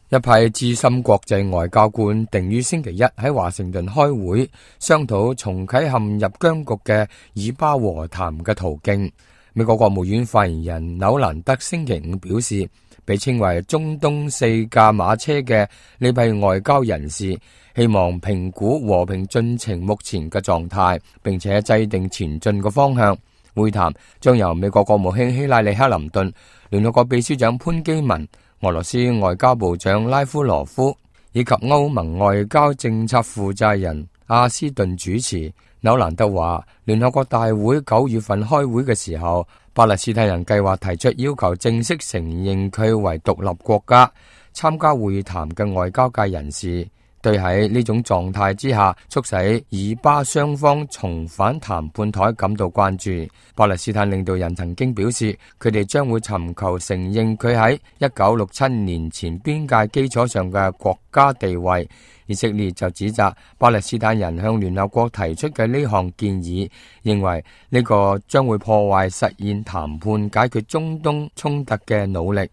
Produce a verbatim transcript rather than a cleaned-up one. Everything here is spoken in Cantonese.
一批資深國際外交官定於星期一喺華盛頓開會，商討重啟陷入僵局嘅以巴和談嘅途徑。美國國務院發言人紐蘭德星期五表示，被稱為中東四駕馬車嘅呢批外交人士，希望評估和平進程目前嘅狀態，並且制定前進嘅方向。會談將由美國國務卿希拉里·克林頓、聯合國秘書長潘基文、俄羅斯外交部長拉夫羅夫以及歐盟外交政策負責人阿斯頓主持。紐蘭德話，聯合國大會九月份開會嘅時候，巴勒斯坦人計劃提出要求正式承認佢為獨立國家。參加會談嘅外交界人士對喺呢種狀態之下促使以巴雙方重返談判台感到關注。巴勒斯坦領導人曾經表示，佢哋將會尋求承認佢喺一九六七年前邊界基礎上嘅國家地位。以色列就指責巴勒斯坦人向聯合國提出嘅呢項建議，認為呢個將會破壞實現談判解決中東衝突嘅努力。